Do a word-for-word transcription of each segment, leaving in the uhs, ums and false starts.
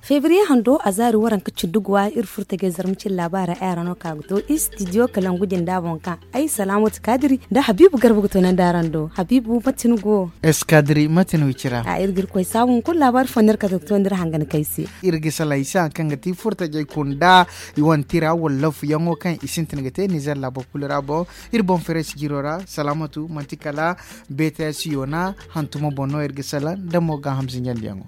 Febriye hando a zaari waranka cindi guwa iri furo tajay zarma cine laabaara ay ra no ka ga to istidiyo kalangu jinda boŋ kaŋ ay salaamatu kaadiri nda habiibu garba ga to nandi araŋ do habiibu mate ni go? Eskadiri mate ni wicira a iri ga iri koy saabu hunkuna laabaari fo no iri kate ga to nda iri hangan kay se. Iri ga salaŋ i se hari kaŋ ga ti furo tajay kunda i wane tira wala lafu yaŋo kaŋ i sintin ga te nizer laabo kulu ra boŋ. Iri boŋ fereesi jiro ra salaamatu manti kala beeta siyo na hantumo boŋ no iri ga salaŋ nda mo gaaham zinjandiyaŋo.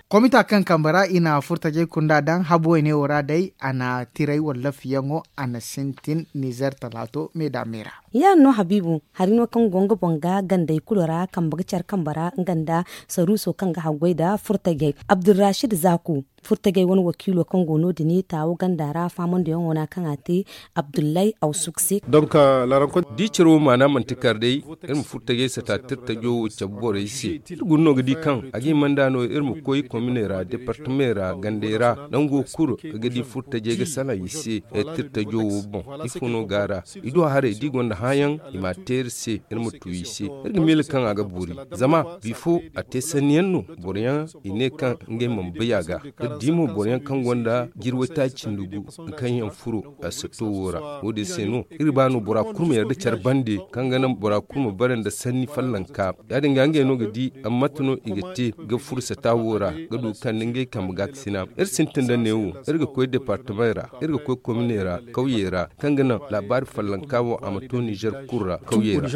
Komita kaŋ kambe ra i na furtajey kunda daŋ habu wayne wo ra day a na tiray wala lafiyaŋo a na sintin nizer talaato me da me ra. Ya- din no habiibu hari no kaŋ go nga boŋ ga gandey kulu ra kambe ga care kambe ra nga nda saruuso kaŋ ga haggoy nda furtajey abdulrashid zaaku. Furtajey wane wakiilo kaŋ go no- din taawo ganda ra faamandiyaŋo no kaŋ a te abdullahi awsuk se. Donk laarankon da i care wo maana manti kar day iri ma furtajey sata tirtajo wo cabe borey se. Iri guna no ga di kaŋ a ga hima nda no iri ma koy kominey ra departamey ra gandey ra nango kulu ka ga di furtajey ga salaŋ i se. Tirtajo wo boŋ ifo no go a ra? I du a haray da i gonda hããyaŋ i m'a te iri se iri ma tu i se. Iri ga miila kaŋ a ga boori zama bifo a te sanniyaŋ no boroyaŋ i ne kaŋ ngey mana bay a ga. Iri di mo boroyaŋ kaŋ gonda jirway taaci nda gu kaŋ yaŋ furo a sato wo ra. Wo- din se no iri ba no bora kulu ma yarda care bande kaŋ ga naŋ bora kulu ma bare nda sanni fallanka. Ya- din ga ngey no ga di mate no i ga te ga furo sata wo ra ga du ga kande ngey kambe gaakasina. Iri sintin nda neewo iri ga koy departamey ra iri ga koy kominey ra kawyey ra kaŋ ga naŋ laabaari fallanka wo a ma to nizer kulu ra kawyey ra.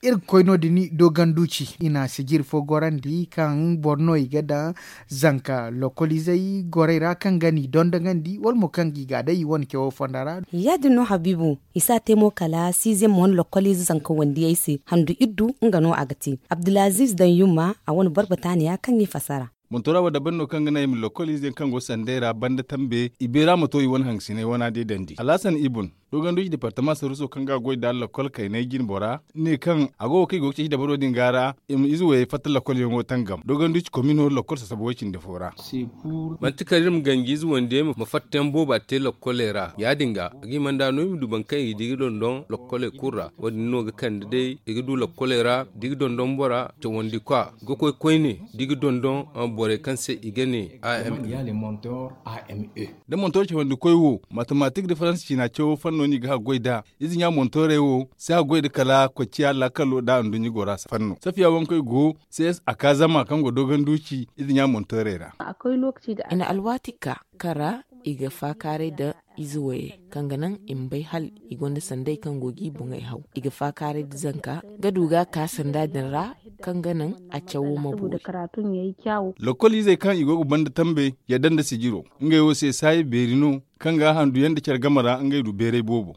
Iri ga koy no- din doganduci i na sijiri fo gorandi kaŋ boro no i ga daŋ zanka lokoliizey gorey ra kaŋ ga n'i dondogandi wala mo kaŋ ga i ga day i wane cawo fonda ra. Ya- din no habiibu i si a te mo kala siizem wane lokoliize zanka wandiyey se handu iddu nga no a ga te abdulaziiz daŋ yumma a wane boro bataaniya kaŋ i fassara. Montora wo dabari no kaŋ ga naŋ i ma lokoliize yaŋ kaŋ go sanday ra banda tambe i beera ma to i wane hangasiney wana day dandi alhasan ibun doganduci departama saruuso kaŋ ga a goy nda lakkol kaynay jinbora ne kaŋ a go ga kaŋ i go ga ceeci dabaro din ga ra i ma ize wayey fatta lakkolyaŋo tangam doganduci komino lakkol sasaba way-cindi fo ra. Manti kala iri ma ganji ize wandiyey ma fattayaŋ booba te lakkoley ra ya- din ga a ga hima nda no i ma du boro kaŋ i ga di ga dondon lakkoley kulu ra. Wo- din no ga kande day i ga du lakkoley ra da i ga dondon bora cawandi kwa ga koy koyne da i ga dondon borey kaŋ se i ga ne a m e. Da montor cawandi koy wo matematik da faransa ciina cawo fanno no i ga haggoy nd'a. Ize ɲa montorey wo si haggoy nda kala kocciya laakalo nda anduɲɲa gora fanno safiya wankey go. Ces a ka zama kaŋ go doganduci ize ɲa montorey ra. I na alwaati ka kaŋ ra i ga faakaaray nda ize wayey kaŋ ga naŋ i ma bay hala i gonda sanday kaŋ go ga i boŋey haw i ga faakaaray nda zanka ga du ga a ka sanda din ra kaŋ ga naŋ a cawo ma boori. Lakkol izey kaŋ i go ga banda tambey yadda nda sijiro ngey wo se saayi beeri no kaŋ ga a handu yaŋ nda care game ra ngey du beeray boobo.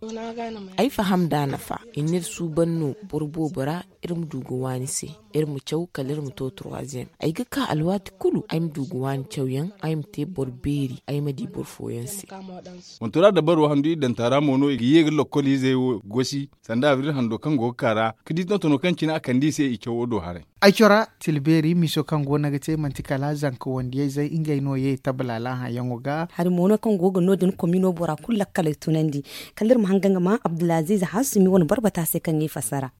Ay faham nd'a nafa i n'iri suuban no boro boobo ra. Iri ma du ga waani se iri ma caw kala iri ma to troisième ay ga ka alwaati kulu ay ma du ga waani cawyaŋ ay ma te boro beeri ay ma di boro fooyaŋ se. Montora dabaro handu iddanta ra mo no i ga ye ga lokkol izey wo gosi sanda abril hando kaŋ go ga ka ra ga di tontono kaŋ cine a kande i se i cawo do haray. Ay cora tilbeeri miso kaŋ go no ga te manti kala zanka wandiyayzey ngey no ye tabalaala hayaŋo ga. Hari mo no kaŋ go ga no- din komino bora kulu lakkaley tunandi kala iri ma hanga nga ma abdulaziiz hasumi wane barbata se kaŋ ga i fassara.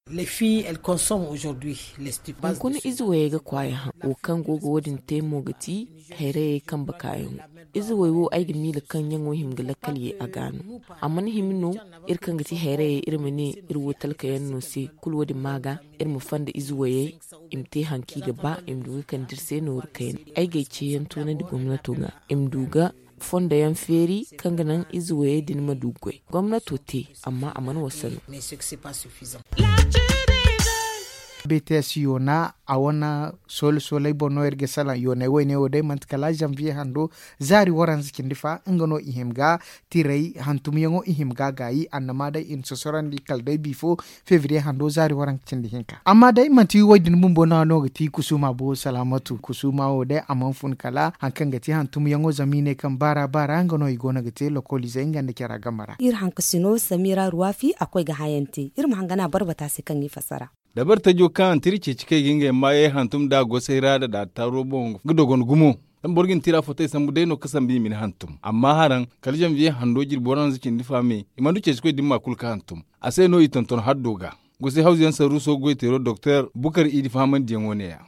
Hunkuna ize wayey ga kwaaya haŋ wo kaŋ go ga wo- din te mo ga ti hayrayey kambe kaayaŋo. Ize way wo ay ga miila kaŋ ɲaŋo hima ga lakkal ye a ga no. A mana hima no iri kaŋ ga ti hayrayey iri ma ne iri wo talkayaŋ no se kulu wo- din ma ga iri ma fonda ize wayey i ma te hari kaŋ i ga ba i ma du ga kande iri se nooru kayna. Ay ga ay ceeyaŋ toonandi gomnato ga i ma du ga fondayaŋ feeri kaŋ ga naŋ ize wayey din ma du ga goy gomnato te amma a mana wasa no. Bts yoona a wane soole sooley boŋ no iri ga salaŋ yooney woyne wo day manti kala zanviye hando zaari waranza cindi fa nga no i hima ga tiray hantumyaŋo i hima ga gaayi annama day i na sosorandi kala day bifo febriye hando zaari waranka cindi hinka amma day manti woy din bumbo no a no ga ti kusuma bo salaamatu kusuma wo day a mana fun kala hari kaŋ ga ti hantumyaŋo zama i ne kaŋ baara baara nga no i go no ga te lokoliizey nga nda cara game ra. Iri hankasino samira ruwafi a koy ga hayaŋ te iri ma hangana barbata se kaŋ i fassara. Dabartajo kaŋ a na tira ceeci kay ga ngey maayey hantum nd'a gosay ra nda daataaro boŋ ga dogon gumo. Zama boro ga ni tira fotey sambu day no ga sambu i ma ni hantum amma haraŋ kala zanviye hando jirbi waranza cindi fa me i mana du ceecikoy da ni ma kulu ga hantum. A se no i tonton haddo ga gosay hawzuyaŋ saruuso goyteero doktor bukar idi fahamandiyaŋo ne- ya.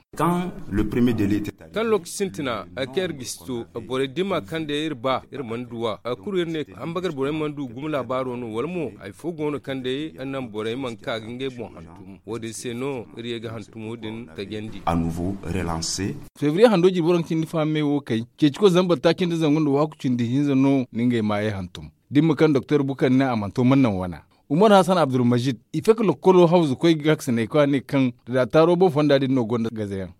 Kaŋ lokaci sintina, ay kaŋ iri ga si to borey da i ma a kaŋ day iri ba iri mana du a kulu iri ne, hambagar borey mana du gumo laabaaro no wala mo hari fo go no kaŋ day iri naŋ borey mana ka ga ngey boŋ hantum. Wo- din se no iri ye ga hantumo din tajandi. Febriye hando jirbi waranka cindi fahamey wo kay ceeciko zambar taaci nda zangu nda waaku cindi hinza no na ngey maayey hantum. Da ni ma kaŋ doktor bukar ne a mana to mana naŋ wana. Umar hasan abdulmajid i fake lokkolo hawzu koy ga ga sinay koy a ne kaŋ da daataaro boŋ fonda din no gonda gazayaŋ.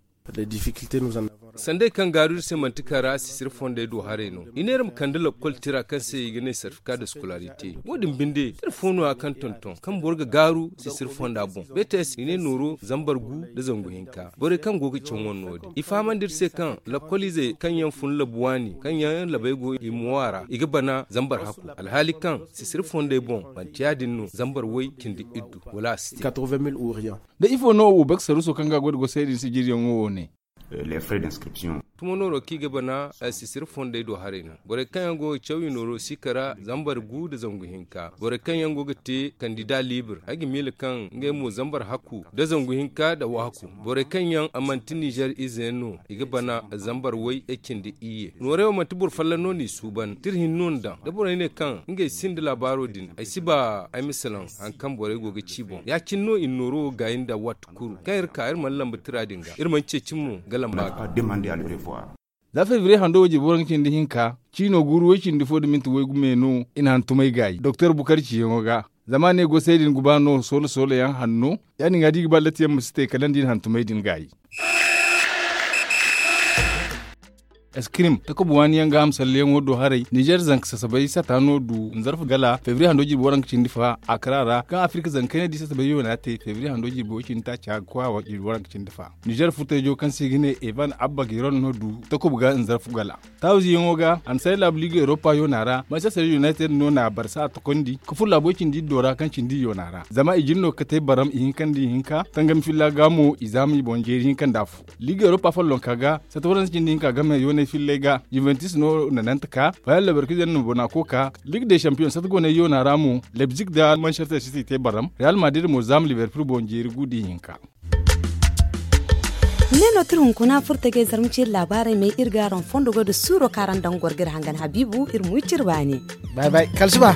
Sanday kaŋ gaaru iri se manti kara sisiri fondey do haray no i ne iri ma kande lakkol tira kaŋ se i ga ne sarfika da sikolarite. Wo- din binde iri fo no- ya kaŋ tonton kaŋ boro ga gaaru sisiri fonda boŋ bts i ne nooro zambar gu nda zangu hinka borey kaŋ go ga caŋ wane no- din i fahamandi iri se kaŋ lakkol izey kaŋ yaŋ fun labu waani kaŋ yaŋ labey go i mo a ra i ga bana zambar hakku. Alhaali kaŋ sisiri fondey boŋ manti ya- din no zambar way cindi iddu wala a si te. Da ifo no wo bek saruuso kaŋ ga a goy nda gosay din sijiriyaŋo wo ne. Tumo nooro kaŋ i ga bana sisiri fondey do haray no. Borey kaŋ yaŋ go ga caw i nooro siika ra zambar gu nda zangu hinka borey kaŋ yaŋ go ga te kandida liibir ay ga miila kaŋ ngey mo zambar hakku nda zangu hinka nda waaku. Borey kaŋ yaŋ manti nizer ize yaŋ no i ga bana zambar way cindi iyye noorey wo manti boro folloŋ no n'i suuban tira hinne no ni daŋ da borey ne kaŋ ngey sinda laabaaro din ay si ba ay ma salaŋ hari kaŋ borey go ga ci boŋ ya- cine no i na nooro wo gaayi nda waati kulu kaŋ iri ka iri mana lamba tira din ga iri mana ceeci mo ga lamba ga. Za febriye hando wo jirbi waranka cindi hinka ciino guuru way cindi fo nda minti waygu me no i na hantumay gaayi doktor bukar ciyaŋo ga. Zama a ne gosay din guba no soolo soolo yaŋ hanno ya- din ga da i ga ba latti yaŋ ma si te kala nda i na hantumay din gaayi. Eskirim takuba waani yaŋ ga hamsalleyaŋo do haray nizer zanka sasabay sata no du nzarfu gala febriye hando jirbi waranka cindi fa akra ra kaŋ afirka zanka kayney di sasabay yoona te febriye hando jirbi way cindi taaca ga koy a jirbi waranka cindi fa. Nizer furtayjo kaŋ se i ga ne evan abba giron no du takuba ga nzarfu gala. Taawize yaŋo ga a na say laabu liiga europa yoona ra manchester united no na a barsa a tokondi ga furo laabu way cindi iddo ra kaŋ cindi yoona ra zama i jin no ga kate baram ihinka nda ihinka tangami filla ga mo i zaama i boŋ jeeri hinka nda afo. Liiga europa follonka ga sata waranza cindi hinka game yoonay fillay ga juventus no na nante ka fayal labarkize no na bona koka liiga de champion sata goonay yoona ra mo lebzik nda manchester city te baram real madrid mo zaama liverpool boŋ jeeri gu da ihinka. Ne no tira hunkuna furta ga ay zarma ceeri laabaarey may iri ga araŋ fondo goy da suuro kaŋ araŋ daŋ goro ga iri hangan habiibu iri ma wi cire baani. Bay bay kala suba.